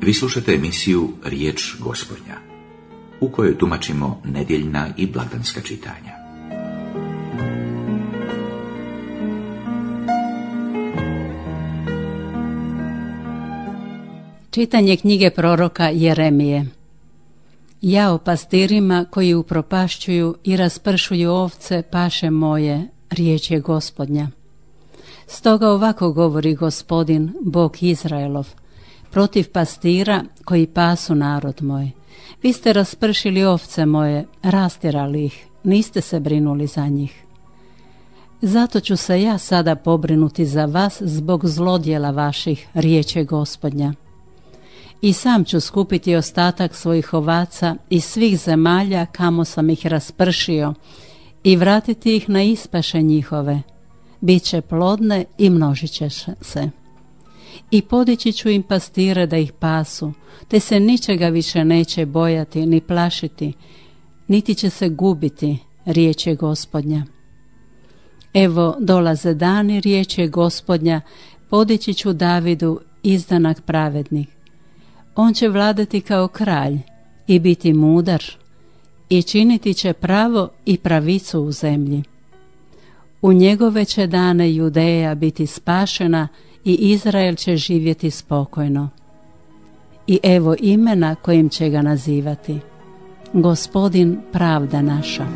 Vi slušate emisiju Riječ Gospodnja, u kojoj tumačimo nedjeljna i blagdanska čitanja. Čitanje knjige proroka Jeremije. Jao pastirima koji upropašćuju i raspršuju ovce paše moje, riječ je Gospodnja. Stoga ovako govori Gospodin, Bog Izraelov, protiv pastira koji pasu narod moj. Vi ste raspršili ovce moje, rastjerali ih, niste se brinuli za njih. Zato ću se ja sada pobrinuti za vas zbog zlodjela vaših, riječ je Gospodnja. I sam ću skupiti ostatak svojih ovaca iz svih zemalja kamo sam ih raspršio i vratiti ih na ispaše njihove. Biće plodne i množit će se. I podići ću im pastire da ih pasu, te se ničega više neće bojati ni plašiti, niti će se gubiti, riječ je Gospodnja. Evo dolaze dani, riječ je Gospodnja, podići ću Davidu izdanak pravednih. On će vladati kao kralj i biti mudar i činiti će pravo i pravicu u zemlji. U njegove će dane Judeja biti spašena i Izrael će živjeti spokojno. I evo imena kojim će ga nazivati: Gospodin pravda naša.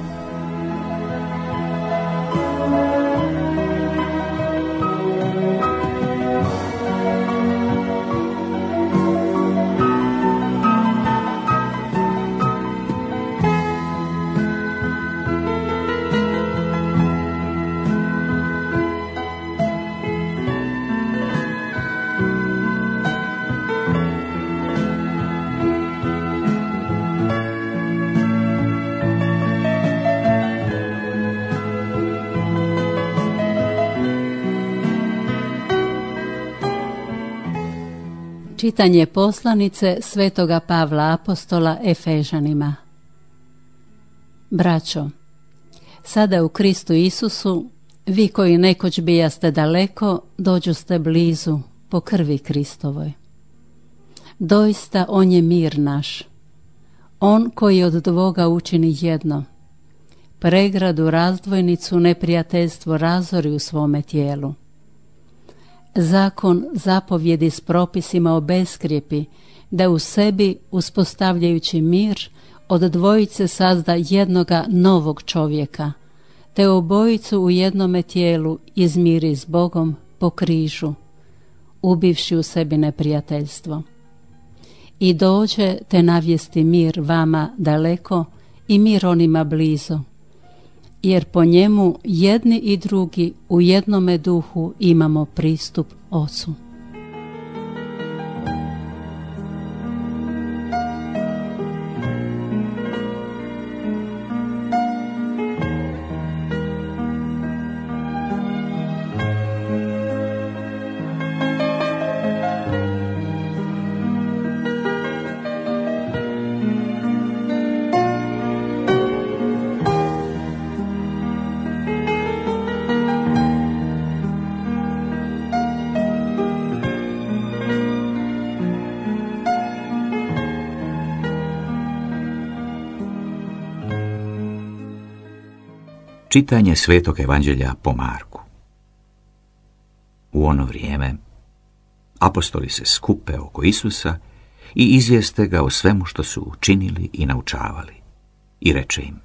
Čitanje poslanice Svetoga Pavla Apostola Efežanima. Braćo, sada u Kristu Isusu, vi koji nekoć bijaste daleko, dođoste blizu po krvi Kristovoj. Doista on je mir naš, on koji od dvoga učini jedno, pregradu, razdvojnicu, neprijateljstvo razori u svome tijelu. Zakon zapovjedi s propisima obeskrijepi, da u sebi, uspostavljajući mir, od dvojice sazda jednoga novog čovjeka, te obojicu u jednome tijelu izmiri s Bogom po križu, ubivši u sebi neprijateljstvo. I dođe te navijesti mir vama daleko i mir onima blizu, jer po njemu jedni i drugi u jednome duhu imamo pristup Ocu. Čitanje Svetog Evanđelja po Marku. U ono vrijeme apostoli se skupe oko Isusa i izvijeste ga o svemu što su učinili i naučavali. I reče im: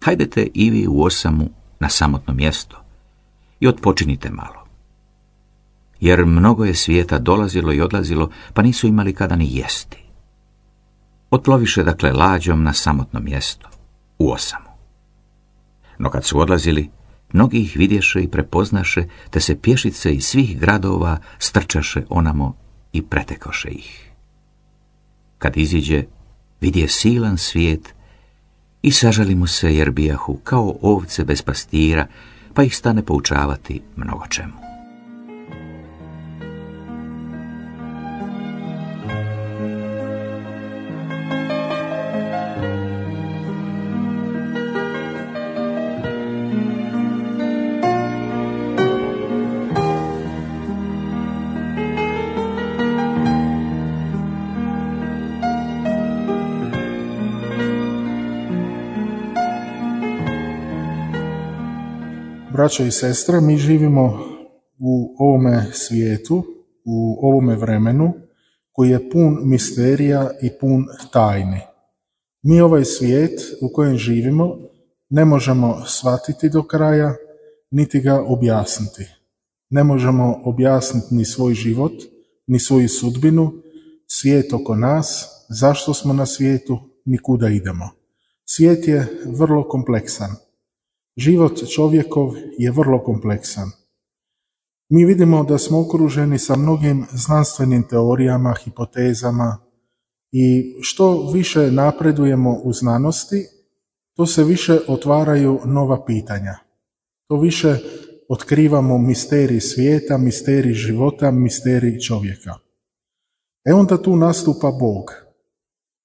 hajdete i vi u osamu na samotno mjesto i odpočinite malo. Jer mnogo je svijeta dolazilo i odlazilo, pa nisu imali kada ni jesti. Otploviše dakle lađom na samotno mjesto, u osamu. No kad su odlazili, mnogi ih vidješe i prepoznaše, te se pješice iz svih gradova strčaše onamo i pretekoše ih. Kad iziđe, vidje silan svijet i sažali mu se, jer bijahu kao ovce bez pastira, pa ih stane poučavati mnogo čemu. Braćo i sestre, mi živimo u ovome svijetu, u ovome vremenu koji je pun misterija i pun tajni. Mi ovaj svijet u kojem živimo ne možemo shvatiti do kraja, niti ga objasniti. Ne možemo objasniti ni svoj život, ni svoju sudbinu, svijet oko nas, zašto smo na svijetu, ni kuda idemo. Svijet je vrlo kompleksan. Život čovjekov je vrlo kompleksan. Mi vidimo da smo okruženi sa mnogim znanstvenim teorijama, hipotezama i što više napredujemo u znanosti, to se više otvaraju nova pitanja. To više otkrivamo misterij svijeta, misterij života, misterij čovjeka. Onda tu nastupa Bog,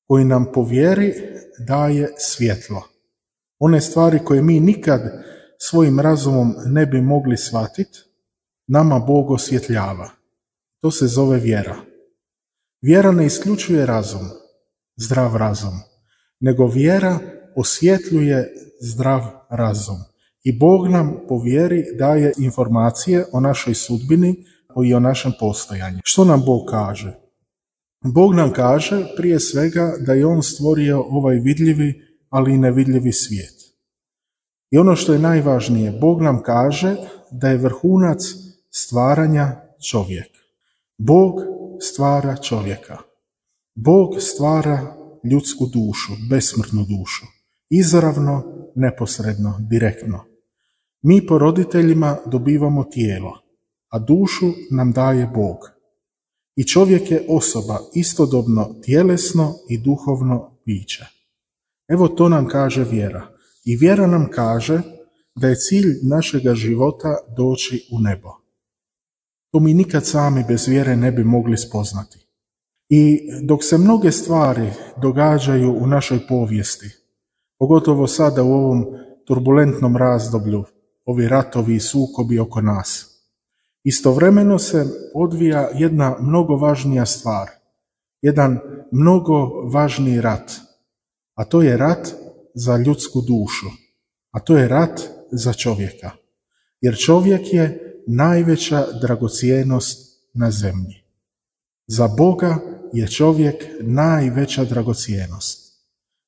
koji nam po vjeri daje svjetlo. One stvari koje mi nikad svojim razumom ne bi mogli shvatiti, nama Bog osvjetljava. To se zove vjera. Vjera ne isključuje razum, zdrav razum, nego vjera osvjetljuje zdrav razum. I Bog nam po vjeri daje informacije o našoj sudbini i o našem postojanju. Što nam Bog kaže? Bog nam kaže prije svega da je On stvorio ovaj vidljivi, ali i nevidljivi svijet. I ono što je najvažnije, Bog nam kaže da je vrhunac stvaranja čovjek. Bog stvara čovjeka. Bog stvara ljudsku dušu, besmrtnu dušu. Izravno, neposredno, direktno. Mi po roditeljima dobivamo tijelo, a dušu nam daje Bog. I čovjek je osoba, istodobno tjelesno i duhovno biće. Evo to nam kaže vjera. I vjera nam kaže da je cilj našega života doći u nebo. To mi nikad sami bez vjere ne bi mogli spoznati. I dok se mnoge stvari događaju u našoj povijesti, pogotovo sada u ovom turbulentnom razdoblju, ovi ratovi i sukobi oko nas, istovremeno se odvija jedna mnogo važnija stvar, jedan mnogo važniji rat, a to je rat za ljudsku dušu, a to je rat za čovjeka. Jer čovjek je najveća dragocjenost na zemlji. Za Boga je čovjek najveća dragocjenost.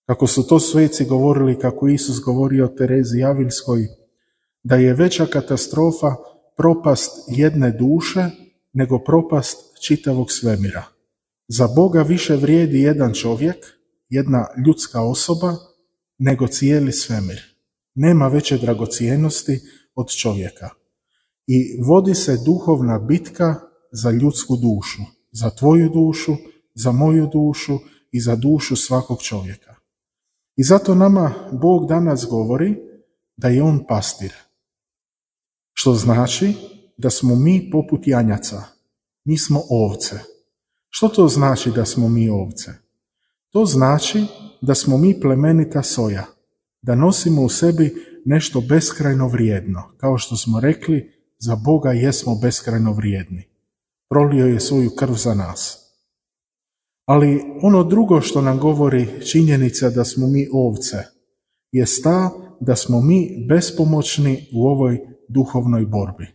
Kako su to sveci govorili, kako Isus govorio o Terezi Avilskoj, da je veća katastrofa propast jedne duše nego propast čitavog svemira. Za Boga više vrijedi jedan čovjek, jedna ljudska osoba, nego cijeli svemir. Nema veće dragocjenosti od čovjeka. I vodi se duhovna bitka za ljudsku dušu, za tvoju dušu, za moju dušu i za dušu svakog čovjeka. I zato nama Bog danas govori da je On pastir. Što znači da smo mi poput janjaca. Mi smo ovce. Što to znači da smo mi ovce? To znači da smo mi plemenita soja, da nosimo u sebi nešto beskrajno vrijedno. Kao što smo rekli, za Boga jesmo beskrajno vrijedni. Prolio je svoju krv za nas. Ali ono drugo što nam govori činjenica da smo mi ovce, je ta da smo mi bespomoćni u ovoj duhovnoj borbi.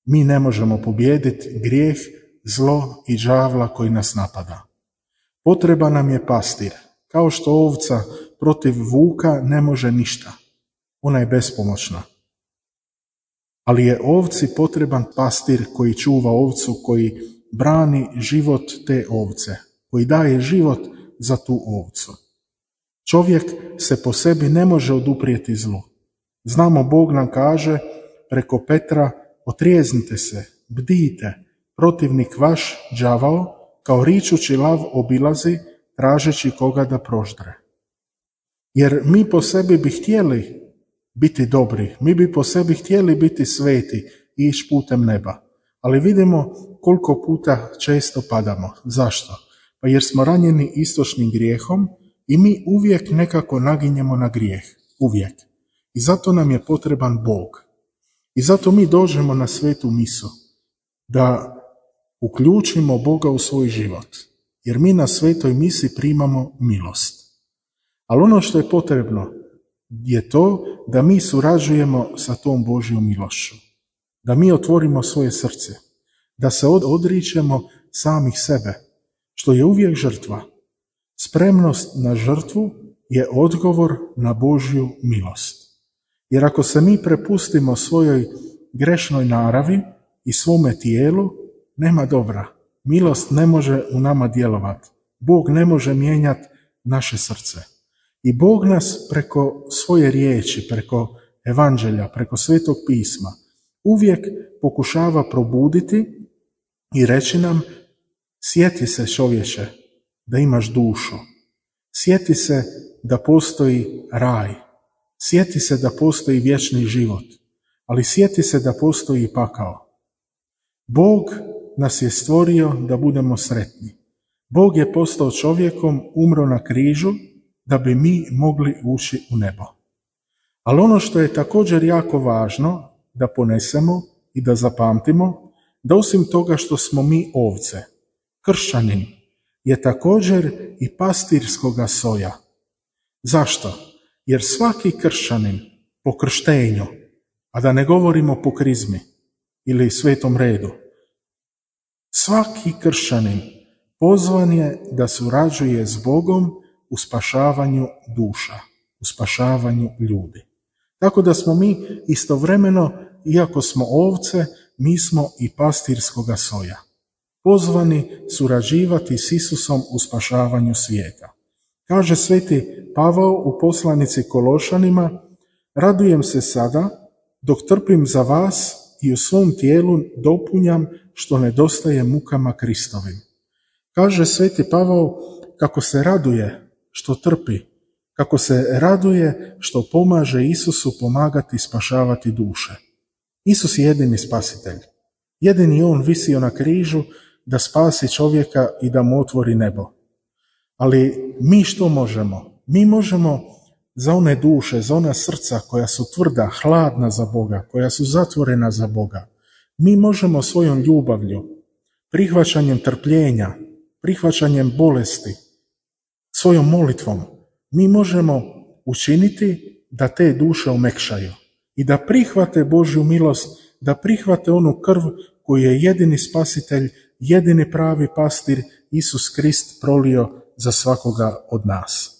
Mi ne možemo pobijediti grijeh, zlo i đavla koji nas napada. Potreban nam je pastir. Kao što ovca protiv vuka ne može ništa. Ona je bespomoćna. Ali je ovci potreban pastir koji čuva ovcu, koji brani život te ovce, koji daje život za tu ovcu. Čovjek se po sebi ne može oduprijeti zlu. Znamo, Bog nam kaže preko Petra, otrijeznite se, bdijte, protivnik vaš, đavao, kao ričući lav obilazi, tražeći koga da proždre. Jer mi po sebi bi htjeli biti dobri, mi bi po sebi htjeli biti sveti i ići putem neba. Ali vidimo koliko puta često padamo. Zašto? Pa jer smo ranjeni istočnim grijehom i mi uvijek nekako naginjemo na grijeh. Uvijek. I zato nam je potreban Bog. I zato mi dođemo na svetu misu, da uključimo Boga u svoj život. Jer mi na svetoj misi primamo milost. Ali ono što je potrebno, je to da mi surađujemo sa tom Božjom milošću, da mi otvorimo svoje srce, da se odričemo samih sebe, što je uvijek žrtva. Spremnost na žrtvu je odgovor na Božju milost. Jer ako se mi prepustimo svojoj grešnoj naravi i svome tijelu, nema dobra. Milost ne može u nama djelovati. Bog ne može mijenjati naše srce. I Bog nas preko svoje riječi, preko evanđelja, preko Svetog pisma uvijek pokušava probuditi i reći nam: sjeti se, čovječe, da imaš dušu. Sjeti se da postoji raj. Sjeti se da postoji vječni život. Ali sjeti se da postoji i pakao. Bog nas je stvorio da budemo sretni. Bog je postao čovjekom, umro na križu da bi mi mogli ući u nebo. Ali ono što je također jako važno da ponesemo i da zapamtimo, da osim toga što smo mi ovce, kršćanin je također i pastirskoga soja. Zašto? Jer svaki kršćanin po krštenju, a da ne govorimo po krizmi ili svetom redu, svaki kršćanin pozvan je da surađuje s Bogom u spašavanju duša, u spašavanju ljudi. Tako da smo mi istovremeno, iako smo ovce, mi smo i pastirskoga soja, pozvani surađivati s Isusom u spašavanju svijeta. Kaže sveti Pavao u poslanici Kološanima: radujem se sada dok trpim za vas i u svom tijelu dopunjam što nedostaje mukama Kristovim. Kaže sveti Pavao kako se raduje što trpi, kako se raduje što pomaže Isusu pomagati spašavati duše. Isus je jedini spasitelj. Jedini on visio na križu da spasi čovjeka i da mu otvori nebo. Ali mi što možemo? Mi možemo za one duše, za ona srca koja su tvrda, hladna za Boga, koja su zatvorena za Boga, mi možemo svojom ljubavlju, prihvaćanjem trpljenja, prihvaćanjem bolesti, svojom molitvom, mi možemo učiniti da te duše omekšaju i da prihvate Božju milost, da prihvate onu krv koju je jedini spasitelj, jedini pravi pastir Isus Krist prolio za svakoga od nas.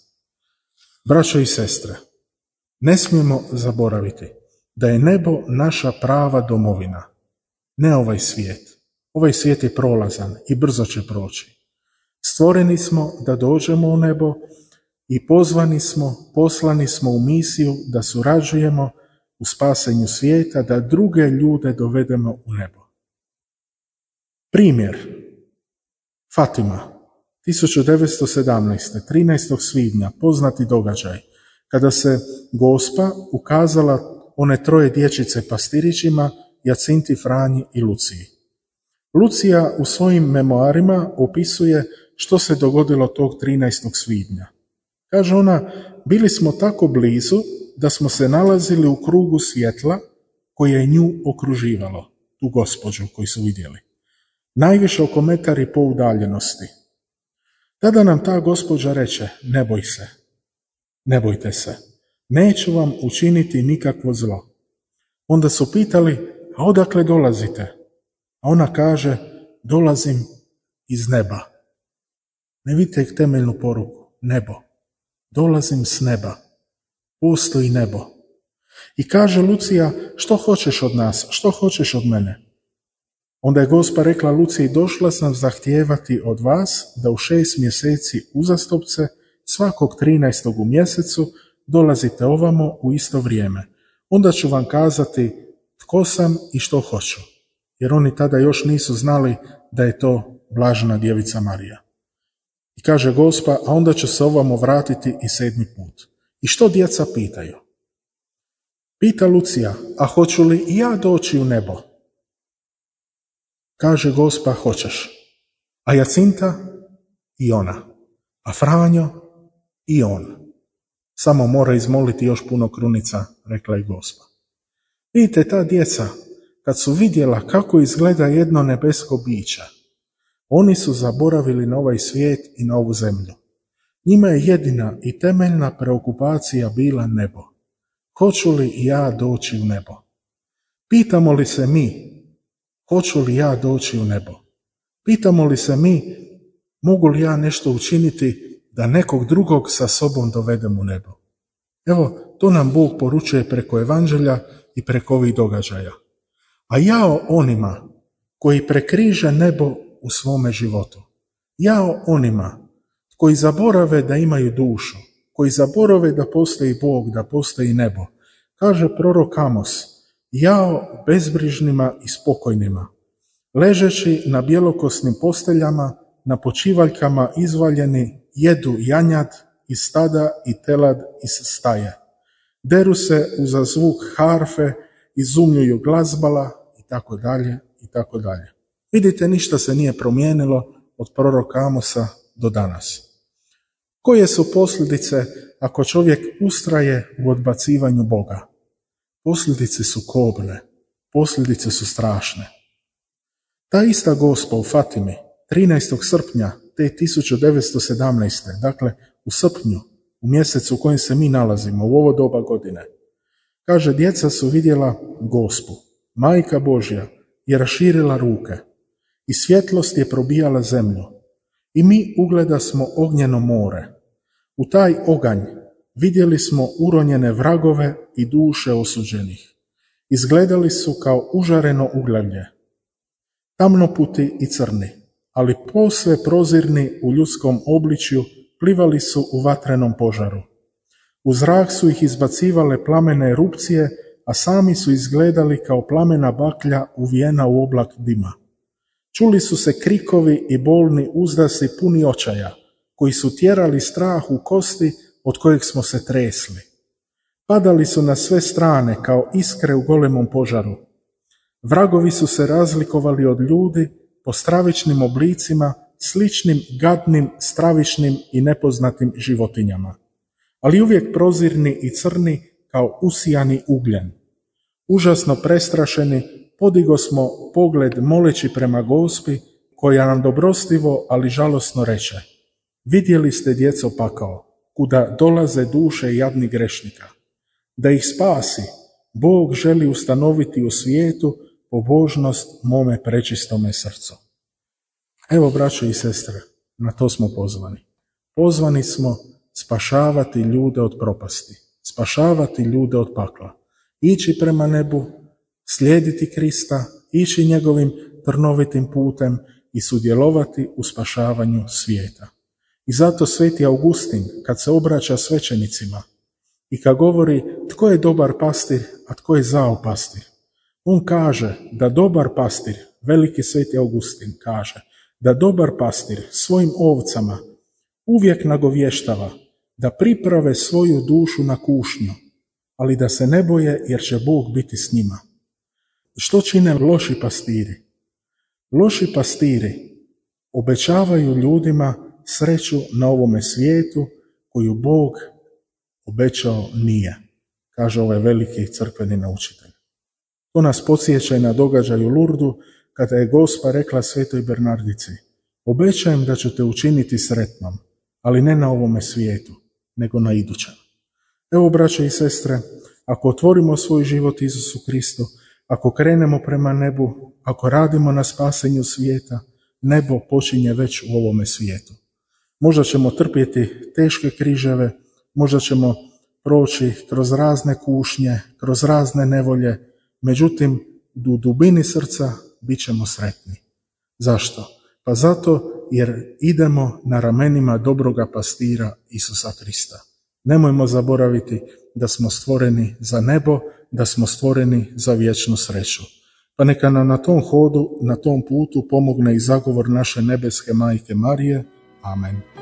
Braćo i sestre, ne smijemo zaboraviti da je nebo naša prava domovina, ne ovaj svijet. Ovaj svijet je prolazan i brzo će proći. Stvoreni smo da dođemo u nebo i poslani smo u misiju da surađujemo u spasenju svijeta, da druge ljude dovedemo u nebo. Primjer: Fatima, 1917. 13. svibnja, poznati događaj, kada se Gospa ukazala one troje dječice pastirićima, Jacinti, Franji i Luciji. Lucija u svojim memoarima opisuje što se dogodilo tog 13. svibnja. Kaže ona: bili smo tako blizu da smo se nalazili u krugu svjetla koje je nju okruživalo, tu gospođu koju su vidjeli. Najviše oko metar i pol udaljenosti. Tada nam ta gospođa reče: ne boj se, ne bojte se, neću vam učiniti nikakvo zlo. Onda su pitali: a odakle dolazite? A ona kaže: dolazim iz neba. Ne vidite temeljnu poruku? Nebo. Dolazim s neba. Postoji nebo. I kaže Lucija: što hoćeš od nas? Što hoćeš od mene? Onda je Gospa rekla Luciji: došla sam zahtijevati od vas da u 6 mjeseci uzastopce, svakog 13. u mjesecu, dolazite ovamo u isto vrijeme. Onda ću vam kazati tko sam i što hoću. Jer oni tada još nisu znali da je to blažena djevica Marija. I kaže Gospa: a onda ću se ovamo vratiti i 7. put. I što djeca pitaju? Pita Lucija: a hoću li i ja doći u nebo? Kaže Gospa: hoćeš. A Jacinta? I ona. A Franjo? I on. Samo mora izmoliti još puno krunica, rekla je Gospa. Vidite, ta djeca, kad su vidjela kako izgleda jedno nebesko biće, oni su zaboravili na ovaj svijet i na ovu zemlju. Njima je jedina i temeljna preokupacija bila nebo. hoću li ja doći u nebo? Pitamo li se mi, hoću li ja doći u nebo? Pitamo li se mi, mogu li ja nešto učiniti da nekog drugog sa sobom dovedem u nebo? Evo, to nam Bog poručuje preko evanđelja i preko ovih događaja. A jao onima koji prekriže nebo u svome životu. Jao onima koji zaborave da imaju dušu, koji zaborave da postoji Bog, da postoji nebo. Kaže prorok Amos, jao bezbrižnima i spokojnima, ležeći na bjelokosnim posteljama, na počivaljkama izvaljeni, jedu janjad iz stada i telad iz staje. Deru se uza zvuk harfe, izumljuju glazbala i tako dalje i tako dalje. Vidite, ništa se nije promijenilo od proroka Amosa do danas. Koje su posljedice ako čovjek ustraje u odbacivanju Boga? Posljedice su kobne, posljedice su strašne. Ta ista Gospa u Fatimi, 13. srpnja te 1917. Dakle u srpnju, u mjesecu u kojem se mi nalazimo, u ovo doba godine, kaže, djeca su vidjela Gospu, Majka Božja je raširila ruke i svjetlost je probijala zemlju i mi ugleda smo ognjeno more. U taj oganj vidjeli smo uronjene vragove i duše osuđenih. Izgledali su kao užareno uglavlje, tamnoputi i crni, ali posve prozirni u ljudskom obličju, plivali su u vatrenom požaru. U zrak su ih izbacivale plamene erupcije, a sami su izgledali kao plamena baklja uvijena u oblak dima. Čuli su se krikovi i bolni uzdasi puni očaja, koji su tjerali strah u kosti od kojeg smo se tresli. Padali su na sve strane kao iskre u golemom požaru. Vragovi su se razlikovali od ljudi po stravičnim oblicima, sličnim gadnim, stravičnim i nepoznatim životinjama, ali uvijek prozirni i crni kao usijani ugljen. Užasno prestrašeni, podigo smo pogled moleći prema Gospi, koja nam dobrostivo, ali žalosno reče, vidjeli ste, djeco, pakao, kuda dolaze duše jadnih grešnika. Da ih spasi, Bog želi ustanoviti u svijetu pobožnost mome prečistome srcu. Evo, braćo i sestre, na to smo pozvani. Pozvani smo spašavati ljude od propasti, spašavati ljude od pakla, ići prema nebu, slijediti Krista, ići njegovim trnovitim putem i sudjelovati u spašavanju svijeta. I zato sveti Augustin, kad se obraća svećenicima i kad govori tko je dobar pastir, a tko je zao pastir, on kaže da dobar pastir, veliki sveti Augustin kaže, da dobar pastir svojim ovcama uvijek nagovještava da priprave svoju dušu na kušnju, ali da se ne boje jer će Bog biti s njima. Što čine loši pastiri? Loši pastiri obećavaju ljudima sreću na ovome svijetu koju Bog obećao nije, kaže ovaj veliki crkveni naučitelj. To nas podsjeća na događaj u Lurdu, kada je Gospa rekla svetoj Bernardici, obećajem da ću te učiniti sretnom, ali ne na ovome svijetu, nego na idućem. Evo, braćo i sestre, ako otvorimo svoj život Isusu Kristu, ako krenemo prema nebu, ako radimo na spasenju svijeta, nebo počinje već u ovome svijetu. Možda ćemo trpjeti teške križeve, možda ćemo proći kroz razne kušnje, kroz razne nevolje, međutim, u dubini srca bit ćemo sretni. Zašto? Pa zato jer idemo na ramenima dobroga pastira Isusa Krista. Nemojmo zaboraviti da smo stvoreni za nebo, da smo stvoreni za vječnu sreću. Pa neka nam na tom hodu, na tom putu pomogne i zagovor naše nebeske majke Marije. Amen.